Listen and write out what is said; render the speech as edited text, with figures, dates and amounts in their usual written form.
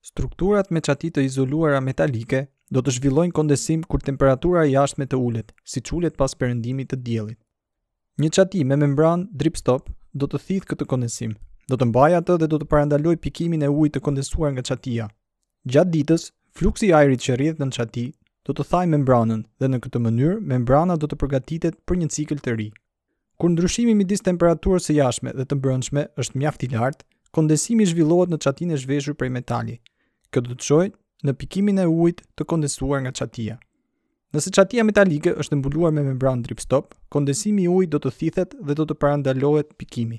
Strukturat me çati të izoluara metalike do të zhvillojnë kondensim kur temperatura e jashtme të ulet, siç ulet pas perëndimit të diellit. Një çati me membranë drip stop do të thithë këtë kondensim, do të mbajë atë dhe do të parandalojë pikimin e ujit të kondensuar nga çatia. Gjatë ditës, fluksi i ajrit që rrjedh nën çati do të thajë membranën dhe në këtë mënyrë membrana do të përgatitet për një cikël të ri. Kur ndryshimi midis temperaturës së jashtme dhe të brendshme është mjaft i lartë, kondensimi zhvillohet në çatinë e zhveshur prej metali. Kjo do të çojë në pikimin e ujit të kondensuar nga çatia. Nëse çatia metalike është e mbuluar me membranë drip stop, kondensimi i ujit do të thithet dhe do të parandalohet pikimi.